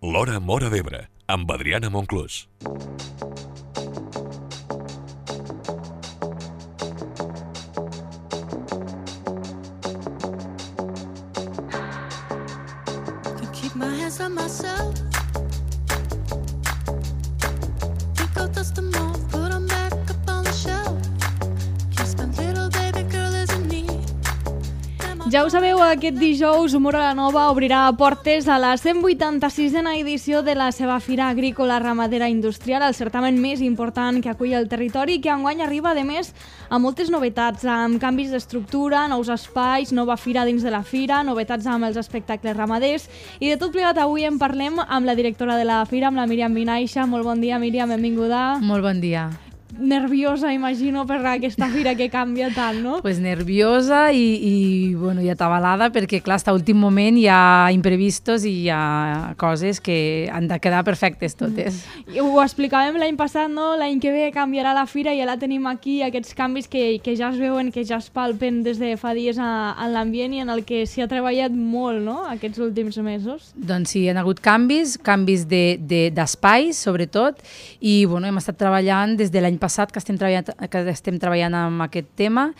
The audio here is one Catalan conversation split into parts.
L'Hora Móra d'Ebre, amb Adriana Monclús. Can keep my hands on myself. Think I'll dust them off, put them back up on the shelf. Kiss my little baby girl is in need. Ja ho sabeu, aquest dijous Móra la Nova obrirà portes a la 186a edició de la seva Fira Agrícola Ramadera Industrial, el certamen més important que acull el territori i que enguany arriba, a més, amb moltes novetats, amb canvis d'estructura, nous espais, nova fira dins de la fira, novetats amb els espectacles ramaders, i de tot plegat avui en parlem amb la directora de la fira, amb la Míriam Vinaixa. Molt bon dia, Míriam, benvinguda. Molt bon dia. Nerviosa, imagino, per aquesta fira que canvia tant, no? Pues nerviosa i atabalada, perquè clar, hasta últim moment hi ha imprevistos i hi ha coses que han de quedar perfectes totes. I ho explicàvem l'any passat, no? L'any que ve canviarà la fira i ja la tenim aquí, aquests canvis que ja es veuen, que ja es palpen des de fa dies en l'ambient i en el que s'hi ha treballat molt, no?, aquests últims mesos. Doncs sí, hi ha hagut canvis d'espais, sobretot, i bueno, hem estat treballant des de l'any passat que estem treballant amb aquest tema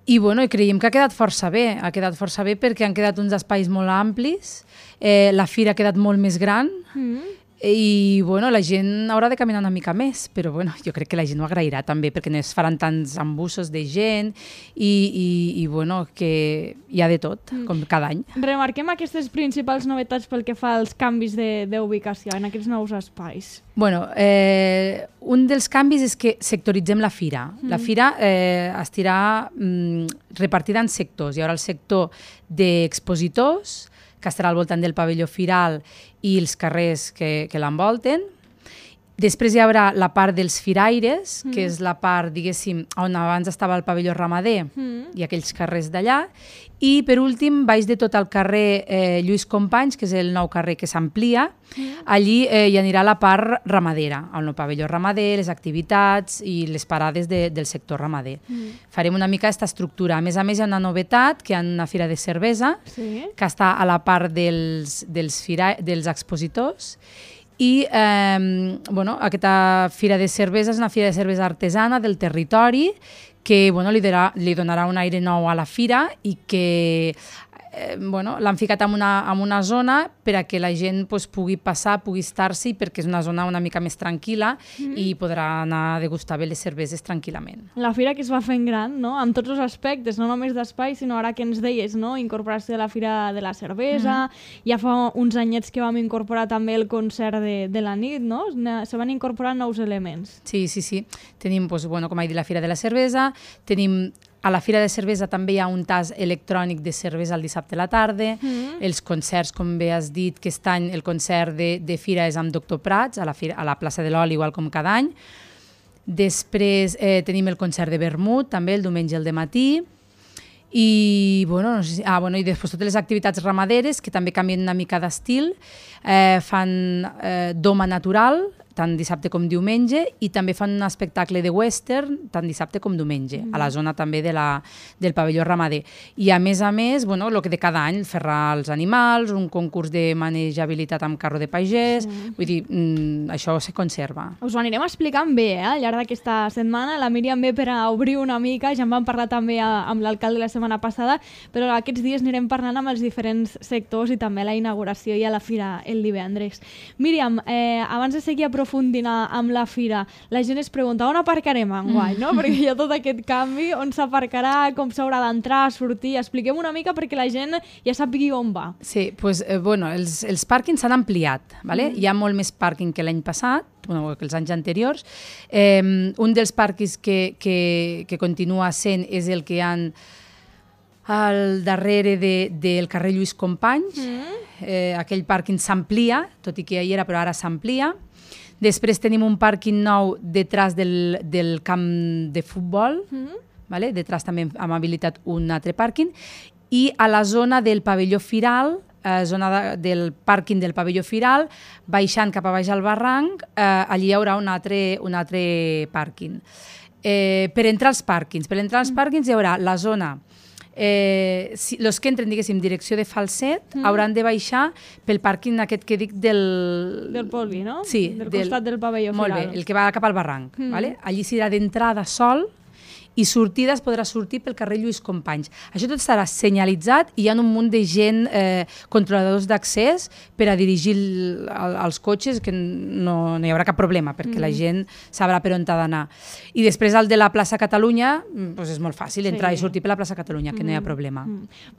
i bueno, creiem que ha quedat força bé perquè han quedat uns espais molt amplis, la fira ha quedat molt més gran i bueno, la gent haurà de caminar una mica més, però bueno, jo crec que la gent ho agrairà també perquè no es faran tants embussos de gent i bueno, que hi ha de tot, com cada any. Remarquem aquestes principals novetats pel que fa als canvis d'ubicació en aquests nous espais. Bueno, un dels canvis és que sectoritzem la fira. La fira estarà repartida en sectors. Hi haurà el sector d'expositors, que estarà al voltant del pavelló firal i els carrers que l'envolten. Després hi haurà la part dels firaires, que és la part, diguéssim, on abans estava el pavelló ramader i aquells carrers d'allà. I, per últim, baix de tot el carrer Lluís Companys, que és el nou carrer que s'amplia, allí hi anirà la part ramadera, el nou pavelló ramader, les activitats i les parades del sector ramader. Farem una mica aquesta estructura. A més, hi ha una novetat, que hi ha una fira de cervesa, que està a la part dels expositors, i bueno, aquesta fira de cervesa és una fira de cervesa artesana del territori que bueno, li donarà un aire nou a la fira i que bueno, l'han ficat en una zona per a que la gent pues, pugui passar, pugui estar-s'hi, perquè és una zona una mica més tranquil·la i podrà anar a degustar bé les cerveses tranquil·lament. La fira que es va fent gran, no?, amb tots els aspectes, no només d'espai, sinó ara que ens deies, no?, incorporació de la fira de la cervesa, ja fa uns anyets que vam incorporar també el concert de la nit, no?, se van incorporar nous elements. Sí. Tenim, pues, bueno, com he dit, la fira de la cervesa, tenim a la Fira de Cervesa també hi ha un tas electrònic de cervesa el dissabte a la tarda, els concerts, com bé has dit, que aquest any el concert de fira és amb Doctor Prats, a la plaça de l'Oli, igual com cada any. Després tenim el concert de vermut, també, el diumenge al dematí. I, bueno, i després totes les activitats ramaderes, que també canvien una mica d'estil, fan doma natural, tant dissabte com diumenge, i també fan un espectacle de western, tant dissabte com diumenge, a la zona també del pavelló ramader. I a més, bueno, el que de cada any, ferrar els animals, un concurs de manejabilitat amb carro de pagès, vull dir, això se conserva. Us ho anirem explicant bé, al llarg d'aquesta setmana. La Míriam ve per a obrir una mica, ja en vam parlar també amb l'alcalde la setmana passada, però aquests dies anirem parlant amb els diferents sectors i també a la inauguració i a la fira el divendres. Míriam, abans de seguir aprofundint amb la fira, la gent es pregunta on aparcarem enguany, no? Perquè hi ha tot aquest canvi, on s'aparcarà, com s'haurà d'entrar, sortir. Expliquem una mica perquè la gent ja sàpigui on va. Sí, doncs, bueno, els pàrquings s'han ampliat, ¿vale? Hi ha molt més pàrquing que l'any passat, bueno, que els anys anteriors. Un dels pàrquings que continua sent és el que hi ha al darrere del carrer Lluís Companys. Aquell pàrquing s'amplia, tot i que ja hi era, però ara s'amplia. Després tenim un pàrquing nou detrás del camp de futbol, detrás també hem habilitat un altre pàrquing, i a la zona del pavelló firal, zona del pàrquing del pavelló firal, baixant cap a baix al barranc, allí hi haurà un altre pàrquing. Per entrar als pàrquings hi haurà la zona els que entren, diguéssim, direcció de Falset, hauran de baixar pel pàrquing aquest que dic Del Polvi, no? Sí. Del costat del pavelló Molt firal. bé, el que va cap al barranc. Vale? Allí serà d'entrada sol i sortida es podrà sortir pel carrer Lluís Companys. Això tot estarà senyalitzat i hi ha un munt de gent, controladors d'accés, per a dirigir els cotxes, que no hi haurà cap problema, perquè la gent sabrà per on ha d'anar. I després el de la plaça Catalunya, doncs és molt fàcil, entrar i sortir per la plaça Catalunya, que no hi ha problema.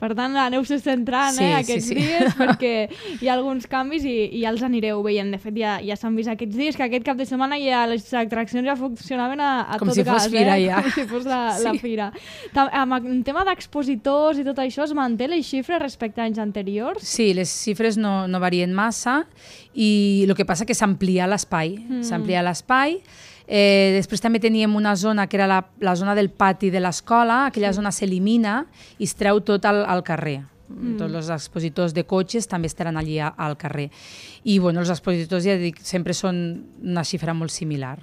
Per tant, aneu-se centrant aquests dies, perquè hi ha alguns canvis i ja els anireu veient. De fet, ja s'han vist aquests dies, que aquest cap de setmana ja les atraccions ja funcionaven a tot gas. Com si fos fira, ja. Com si fos la fira. En tema d'expositors i tot això, es manté les xifres respecte a anys anteriors? Sí, les xifres no varien massa i el que passa que s'amplia l'espai. S'amplia l'espai. Després també teníem una zona que era la zona del pati de l'escola, aquella zona s'elimina i es treu tot al carrer. Tots els expositors de cotxes també estaran allí al carrer. I bueno, els expositors, ja dic, sempre són una xifra molt similar.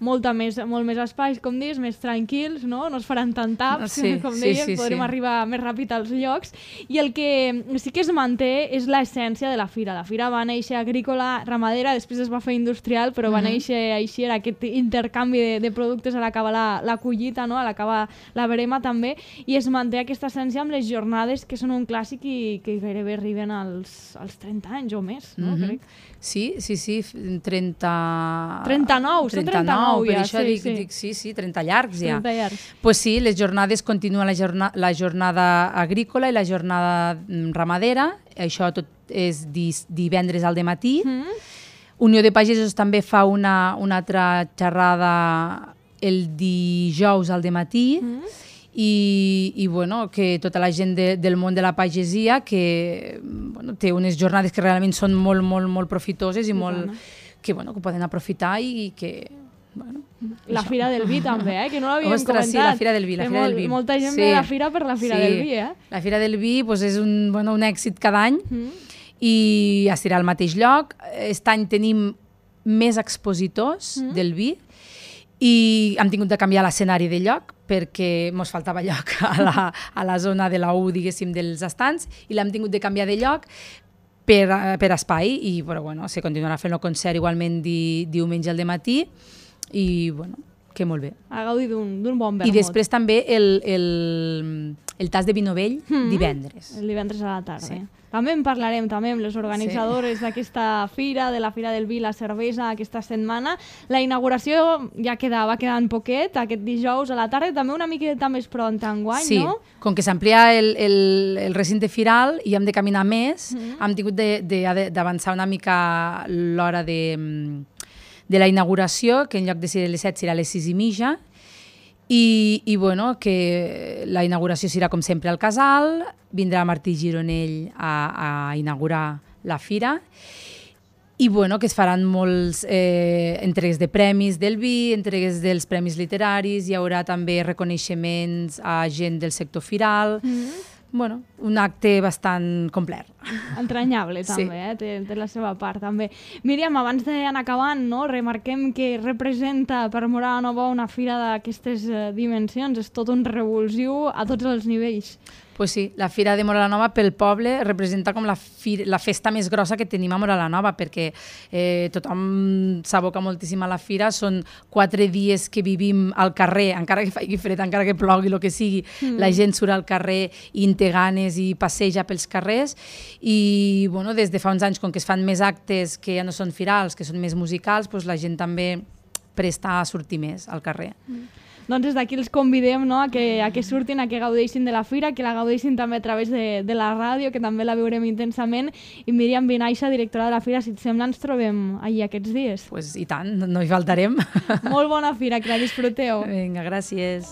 Molt més espais, com dius, més tranquils, no? No es faran tant taps, com dèiem, podrem arribar més ràpid als llocs. I el que sí que es manté és l'essència de la fira. La fira va néixer agrícola, ramadera, després es va fer industrial, però va néixer així, era aquest intercanvi de productes a l'acabar la collita, no? A l'acabar la verema també, i es manté aquesta essència amb les jornades, que són un clàssic i que gairebé arriben als 30 anys o més, no? Crec. Sí, 39, són 39 per ja, això dic, 30 llargs ja. 30 llargs. Pues sí, les jornades continuen la jornada agrícola i la jornada ramadera, això tot és divendres al dematí. Unió de Pagesos també fa una altra xerrada el dijous al dematí, i bueno, que tota la gent del món de la pagesia que bueno, té unes jornades que realment són molt profitoses i que poden aprofitar i que... Bueno, la Fira del Vi també, que no l'havíem comentat. Sí, la Fira del Vi. Molta gent ve a la Fira per la Fira del Vi, La Fira del Vi és un èxit cada any i estarà al mateix lloc. Aquest any tenim més expositors del vi i hem tingut de canviar l'escenari de lloc perquè ens faltava lloc a la zona de la U, diguéssim, dels estants, i l'hem tingut de canviar de lloc per espai, però bueno, se continuarà fent el concert igualment diumenge al dematí, i bueno, que molt bé. A gaudir d'un bon vermut. I després també el tas de vi novell divendres. El divendres a la tarda. Sí. També en parlarem també amb les organitzadores d'aquesta fira, de la Fira del Vi i la Cervesa aquesta setmana. La inauguració ja va quedant poquet, aquest dijous a la tarda, també una miqueta més pront enguany, no? Sí, com que s'amplia el recinte firal i hem de caminar més, hem tingut d'avançar una mica l'hora de la inauguració, que en lloc de ser a les 7 serà a les 6:30, i bueno, que la inauguració serà com sempre al casal, vindrà Martí Gironell a inaugurar la fira, i bueno, que es faran molts entregues de premis del vi, entregues dels premis literaris, hi haurà també reconeixements a gent del sector firal, bueno, un acte bastant complet. Entranyable, també, té la seva part, també. Míriam, abans d'anar acabant, no, remarquem que representa per Móra la Nova una fira d'aquestes dimensions, és tot un revulsiu a tots els nivells. Pues sí, la Fira de Móra la Nova pel poble representa com la festa més grossa que tenim a Móra la Nova, perquè tothom s'aboca moltíssim a la fira, són 4 dies que vivim al carrer, encara que faci fred, encara que plogui, el que sigui, la gent surt al carrer i té ganes i passeja pels carrers, i bueno, des de fa uns anys, com que es fan més actes que ja no són firals, que són més musicals, doncs la gent també presta a sortir més al carrer. Doncs des d'aquí els convidem, no, a que surtin, a que gaudeixin de la fira, que la gaudeixin també a través de la ràdio, que també la veurem intensament. I Míriam Vinaixa, directora de la fira, si et sembla, ens trobem allí aquests dies. Pues i tant, no hi faltarem. Molt bona fira, que la disfruteu. Vinga, gràcies.